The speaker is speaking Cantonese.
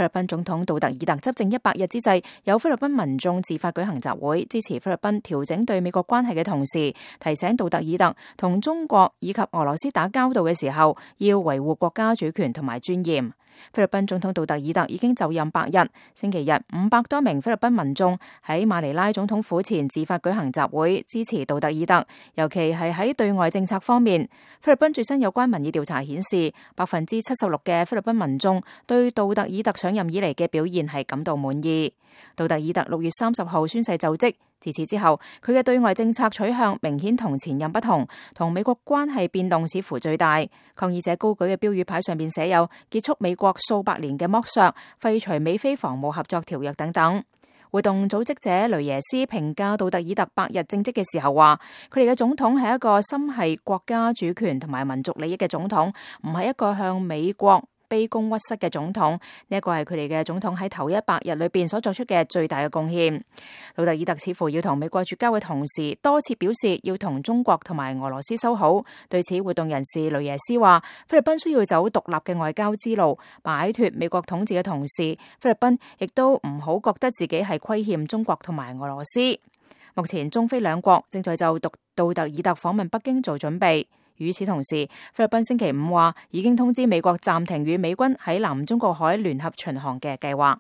菲律賓總統杜特爾特執政100日之際，有菲律賓民眾自發舉行集會，支持菲律賓調整對美國關係嘅同時，提醒杜特爾特同中國以及俄羅斯打交道嘅時候，要維護國家主權同埋尊嚴。菲律賓總統杜特爾特已經就任100日，星期日500多名菲律賓民眾喺馬尼拉總統府前自發舉行集會，支持杜特爾特，尤其係喺對外政策方面。菲律賓最新有關民意調查顯示，76%嘅菲律賓民眾對杜特爾特上任以嚟嘅表現係感到滿意。杜特爾特6月30號宣誓就職，自此之後，佢嘅對外政策取向明顯同前任不同，同美國關係變動似乎最大。抗議者高舉嘅標語牌上邊寫有結束美國數百年嘅剝削、廢除美菲防務合作條約等等。活動組織者雷耶斯評價杜特爾特100日政績嘅時候話，佢哋嘅總統係一個心繫國家主權同埋民族利益嘅總統，唔係一個向美國卑躬屈膝嘅總統。呢一個係佢哋嘅總統喺頭100日裏邊所作出嘅最大嘅貢獻。杜特爾特似乎要同美國絕交嘅同時，多次表示要同中國同埋俄羅斯修好。對此，活動人士雷耶斯話，菲律賓需要走獨立嘅外交之路，擺脫美國統治嘅同時，菲律賓亦都唔好覺得自己係虧欠中國同埋俄羅斯。目前中菲兩國正在就杜特爾特訪問北京做準備。與此同時，菲律賓星期5話已經通知美國暫停與美軍喺南中國海聯合巡航嘅計劃。